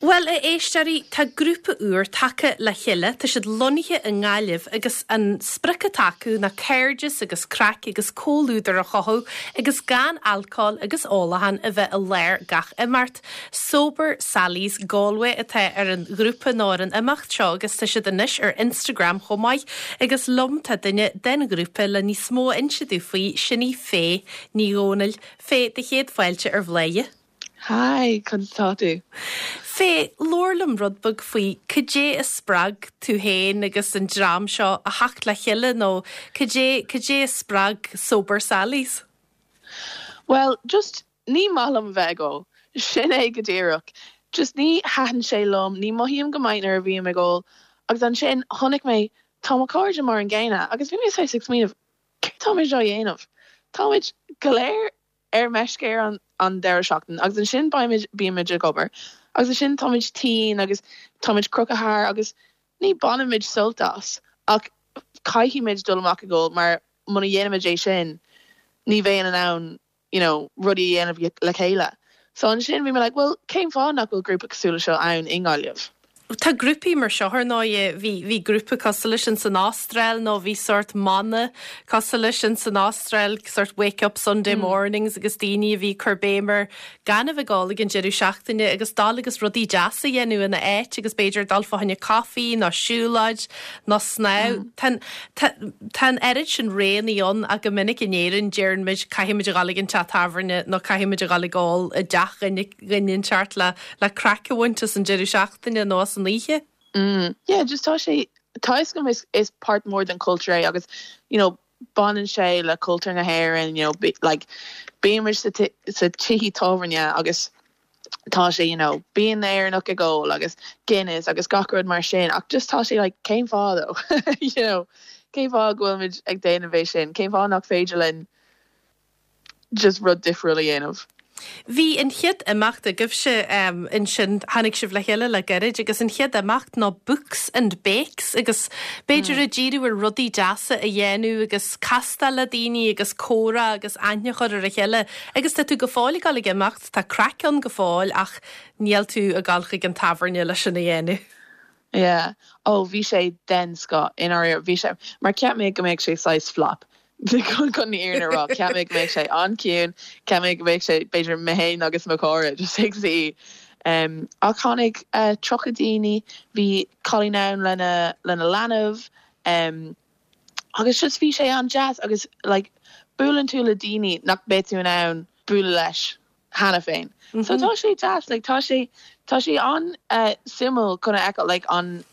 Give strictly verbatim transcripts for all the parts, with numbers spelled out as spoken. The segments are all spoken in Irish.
Bhuel, a éisteoirí, tá grúpa úr tagtha le chéile, tá siad lonnaithe i nGaillimh agus an sprioc atá acu ná cairdeas agus craic agus comhluadar a chothú agus gan alcól agus ólachán a bheith i lár gach imeacht. Sober Sally's Galway atá ar an ghrúpa nó ar an imeacht seo agus tá siad anois ar Instagram chomh maith agus liom tá duine den ghrúpa le níos mó a inse dúinn faoi sin í Faye Ní Dhomhnaill. Faye, do chéad fáilte ar Bhladhaire. Hi, conas tá tú? Faye, labhair liom rud beag faoi cad é a spreag tú féin agus an dream seo a theacht le chéile nó cad é cad é a spreag Sober Sally's? Well, just ní maith liom bheith ag ól. Sin é go díreach. Just ní thaitin sé liom, ní mothaím go maith nuair a bhím ag ól. Agus ansin chonaic mé tá mo chairde mar an gcéanna, agus bhí mé ag smaoineamh céard táimid á dhéanamh. Táimid go léir ar meisce ar an an deireadh seachtain agus ansin beimid bímid ag obair. Agus ansin táimid tinn agus táimid crochthar agus ní bhainimid sult as ach caithfimid dul amach ag ól mar muna dhéanaimid é sin ní bheinn in ann you know, rudaí a dhéanamh le chéile. So ansin bhí mé like, well, cén fáth nach bhfuil grúpa cosúil leis seo ann i nGaillimh. Tá grúpaí mar seo ar ndóigh bhí bhí grúpa cosúil leis sin san Astráil nó bhí sort mana cosúil leis sin san Astráil sort wake up Sunday mm. mornings agus daoine a bhí cur béim ar gan a bheith ag ól ag an deireadh seachtaine agus dul agus rudaí deasa a dhéanamh ina áit agus b'fhéidir dul fá choinne caife nó siúlóid nó snámh. Mm. Tá an oiread sin roghanna ann ach go minic in Éirinn deirimid caithfimid a dhul ag an teach tábhairne nó caithfimid a dhul ag ól i dteach duine inteacht le le craic a bhaint as an deireadh seachtaine nó as an oíche. Mm. Yeah, just tá sé tá go is is part mór den culture é agus you know baineann sé le cultúr na hÉireann you know be, like bímid sa sa tithe tábhairne agus tá sé you know bíonn Éireannach ag ól agus Guinness agus gach rud mar sin ach just tá sé like cén fáth you know cén fáth go bhfuilmid ag déanamh é sin cén fáth nach féidir linn just rud difriúil a dhéanamh. Bhí an chéad imeacht agaibhse um, ansin tháinig sibh le chéile le gairid agus an chéad imeacht ná books and bakes agus b'fhéidir mm. a díriú ar rudaí deasa a dhéanamh agus castáil le daoine agus comhrá agus aithne a chur ar a chéile agus tá tú go fóill ag dul ag imeacht tá craic ann go fóill ach níl tú ag dul chuig an tábhairne leis sin a dhéanamh. Yeah. Oh, bhí sé den scoth in ar bhí sé mar cheap mé go mbeadh sé saghas flop. chun an fhírinne a rá cheap mé go mbeadh sé an-chiúin cheap mé go mbeadh sé b'fhéidir mé féin agus mo chairde just ag suí. Um, ach tháinig uh, tríocha daoine bhí cailín ann lena lena leanbh um, agus just bhí sé an-deas agus like, buaileann tú le daoine nach mbeadh tú in ann bualadh leis cheana féin. Mm -hmm. So tá sé deas like, tá sé tá sé an uh, suimiúil chun a fheiceáil like, an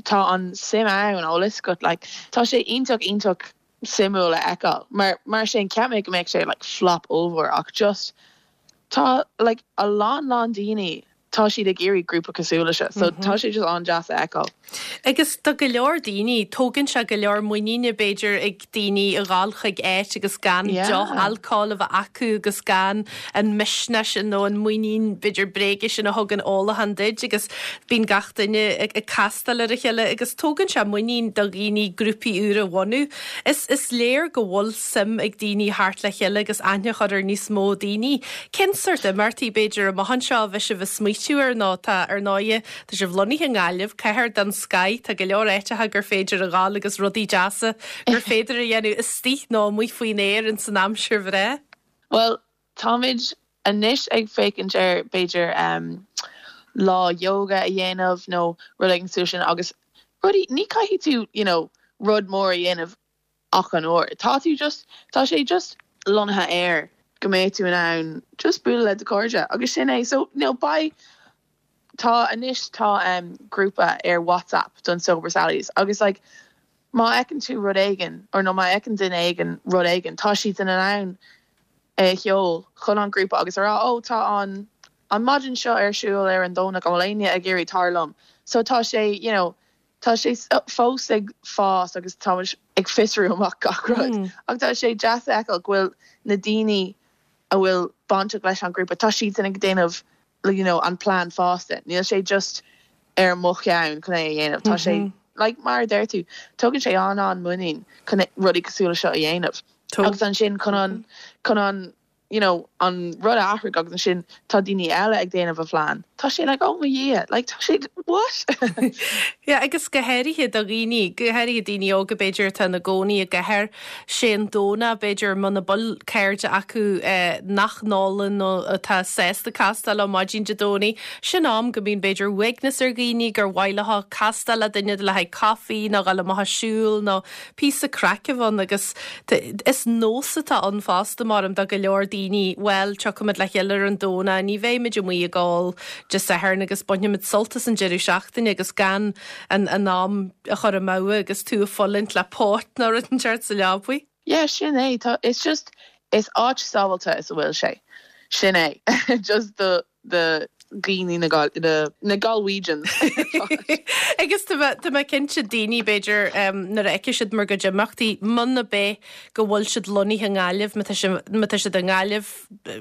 tá an suim ann ó go like, tá sé iontach iontach suimiúil a fheiceáil mar mar sin cheap mé go mbeadh sé like flop over ach just tá like a lán lán daoine tá siad ag iarraidh grúpa cosúil leis seo so mm -hmm. tá sé just an-deas a fheiceáil. Agus do go leor daoine tógann sé go leor muiníne b'fhéidir ag daoine a dhul chuig áit agus gan yeah. deoch alcóil a bheith acu agus gan an misneach sin nó an muinín b'fhéidir bréige sin a thugann ólachán duit agus bíonn gach duine ag, ag castáil ar a chéile agus tógann sé muinín do dhaoine grúpaí úra a bhunú. Is, is léir go bhfuil suim ag daoine theacht le chéile agus aithne a chur ar níos mó daoine. Cén sort imeachtaí b'fhéidir amach anseo a bhí sibh ag smaoitiú ar nó tá ar ndóigh tá sibh lonnaithe i nGaillimh cathair den scoth tá go leor áiteacha gur féidir a ghabháil agus rudaí deasa gur féidir a dhéanamh istigh nó amuigh faoin aer in san aimsir bhreá. Well táimid anois ag féachaint ar b'fhéidir um, lá yoga a dhéanamh nó rud éigin sin agus rudaí ní caithfidh tú you know, rud mór a dhéanamh ach an uair. Tá tú just tá sé just lonnaithe air go mbeidh tú in ann just bualadh le do chairde agus sin é so no by tá anois tá um, grúpa ar WhatsApp don Sober Sallies agus like má fheiceann tú rud éigin or nó má fheiceann duine éigin rud éigin tá siad in ann é sheoladh chun an grúpa agus rá ó tá an an maidin seo ar siúl ar an Domhnach an bhfuil éinne ag iarraidh tar liom so tá sé you know tá sé fós ag fás agus tá ag fiosrú amach gach rud mm. ach tá sé deas a fheiceáil go bhfuil na daoine a bhfuil bainteach leis an grúpa tá siad ag déanamh you know an plan fosta níl sé just ar mo cheann chun é a dhéanamh tá sé mm -hmm. like mar deir tú tugann sé an an muinín chun rudaí cosúil seo a dhéanamh agus ansin chun an chun an you know an rud a athrú agus ansin tá daoine eile ag déanamh a phlean. Tá sé like oh my yeah like tá sé what? Yeah, agus go háirithe do dhaoine go háirithe daoine óga b'fhéidir atá ina gcónaí i gcathair sé an Domhnach b'fhéidir muna bhfuil cairde acu eh, nach n-ólann nó atá sásta castáil ar maidin Dé Domhnaigh sin am go mbíonn b'fhéidir uaigneas ar dhaoine gur mhaith leo castáil le duine le haghaidh caife nó dul amach ag siúl nó píosa craic ann agus is nós atá ann fosta mar do go leor daoine well tiocfaimid le chéile ar an Domhnach ní bheimid amuigh ag ól Dé Sathairn agus bainfimid sult as an deireadh seachtaine agus gan an an am a chur amú agus tú ag fulaingt le póit nó rud inteacht sa leabaidh. Yeah, sin é tá it's just is áit sábháilte is a bhfuil sé. Sin é just the the daoine na na na Galwegians. Agus tá mé cinnte daoine b'fhéidir nuair a fheiceann siad bhur gcuid imeachtaí muna bé go bhfuil siad lonnaithe i nGaillimh má tá siad i nGaillimh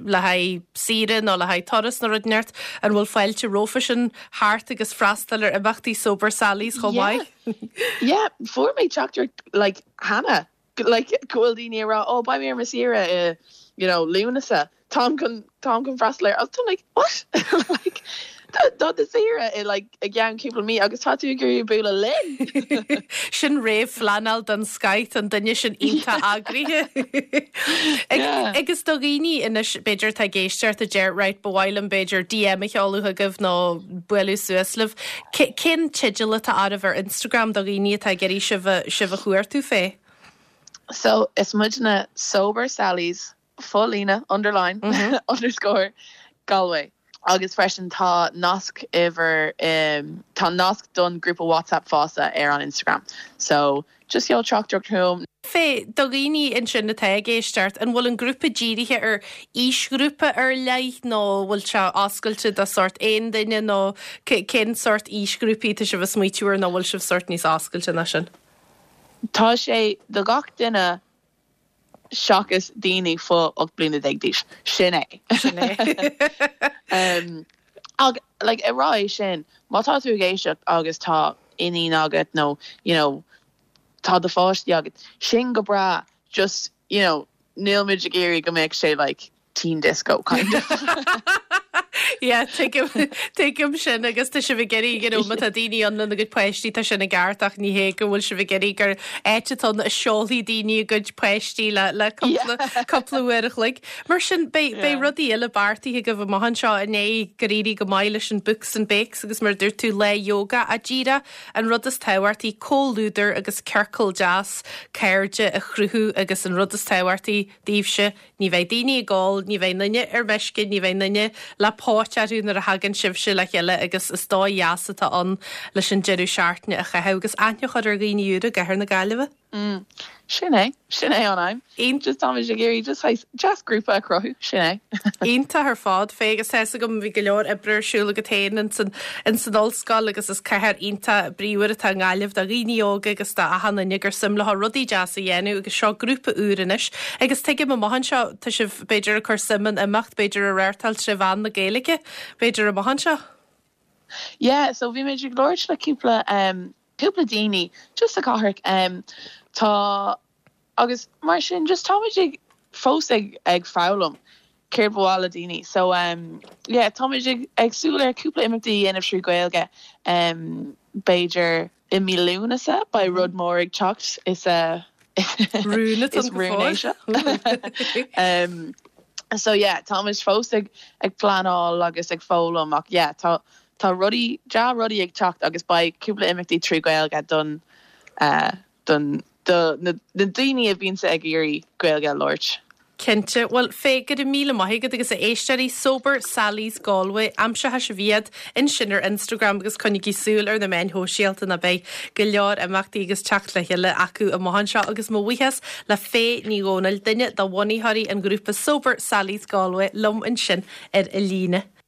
le haghaidh saoire nó le haghaidh turas nó rud inteacht an bhfuil fáilte rompu sin thart agus freastal ar imeachtaí Sober Sally's chomh maith. Yeah, fuair mé teachtaireacht like cheana like go bhfuil daoine rá oh beidh mé ar mo saoire i you know Lúnasa Táim chun táim chun freastal ar tá like what like Tá do saoire i like i gceann cúpla mí agus tá tú ag bualadh linn. Sin réamhphleanáil den scoth an duine sin iontach eagraithe. Agus do dhaoine anois b'fhéidir tá ag éisteacht a deir right ba mhaith liom b'fhéidir DM a sheoladh chugaibh nó bualadh suas libh. Cén teideal atá oraibh ar Instagram do dhaoine atá ag iarraidh sibh sibh a chuartú fé? So is muidne sober Sally's fo-líne underline mm -hmm. underscore Galway. Agus freisin tá nasc idir um, tá nasc don grúpa WhatsApp fosta ar an Instagram. So just seol teachtaireacht chugam. Fé do dhaoine ansin atá ag éisteacht an bhfuil an grúpa dírithe ar aoisghrúpa ar leith nó bhfuil sé oscailte do sórt aon duine nó cén sórt aoisghrúpaí tá sibh ag smaoitiú nó bhfuil sibh sórt níos oscailte ná sin. Tá sé do gach duine seachas daoine faoi ocht bliana déag d'aois sin é. Sin é. um, ag like ag rá sin má tá tú ag éisteacht agus tá iníon agat nó you know tá do pháistí agat sin go breá just you know níl muid ag iarraidh go mbeidh sé like teen disco kind of. Yeah, tuigim sin agus tá sibh ag iarraidh you know, má tá daoine ann lena gcuid páistí tá sin i gceart ach ní hé go bhfuil sibh ag iarraidh gur áit atá a seolfaidh daoine a gcuid páistí le le cúpla uair a chloig. Mar sin beidh rudaí eile beartaithe agaibh amach anseo inné gur éirigh go maith leis an Books and Bakes agus mar dúirt tú le yoga a díra an rud is tábhachtaí comhluadar agus ciorcal deas cairde a chruthú agus an rud is tábhachtaí daoibhse ní bheidh daoine ag ól, ní bheidh duine ar meisce, ní bheidh duine le póit orthu nuair a thagann sibhse le chéile agus is dóigh dheas atá ann leis an deireadh seachtaine a chaitheamh agus aithne a chur ar dhaoine úra i gcathair na Gaillimhe. Mm. Sin é sin é an aidhm just tá ag iarraidh just just grúpa a chruthú sin é. Iontach ar fad fé agus tá go bhí go leor oibre ar siúl agat féin in san in san ollscoil agus is cathair iontach bríomhar atá i nGaillimh do dhaoine óga agus do achan duine gur suim leo rudaí deasa a dhéanamh agus seo grúpa úr anois agus tuigim amach anseo tá sibh b'fhéidir ag cur suim in imeacht b'fhéidir a reáchtáil trí mheán na Gaeilge b'fhéidir amach anseo. Yeah, so bhí mé ag labhairt le cúpla um, cúpla daoine just sa chathair um, tá agus mar sin just táimid ag fós ag ag foghlaim céard ba mhaith le daoine so um, yeah, táimid ag ag súil ar cúpla imeachtaí a dhéanamh trí Ghaeilge um, b'fhéidir i mí Lúnasa beidh rud mór ag teacht is a Rún is rún é seo. um, so yeah, táimid fós ag ag pleanáil agus ag foghlaim ach yeah, tá tá rudaí dea rudaí ag teacht agus beidh cúpla imeachtaí trí Ghaeilge don uh, don do na, na daoine a bhíonn ag iarraidh Gaeilge a labhairt. Cinnte, bhuel fé go raibh míle maith agat agus a éisteoirí Sober Sally's Galway aimseoidh sibh iad ansin ar Instagram agus coinnígí súil ar na meáin shóisialta ná beidh go leor imeachtaí agus teacht le chéile acu amach anseo agus mo bhuíochas le Fé Ní Dhomhnaill duine de bhunaitheoirí an ghrúpa Sober Sally's Galway liom ansin ar an líne.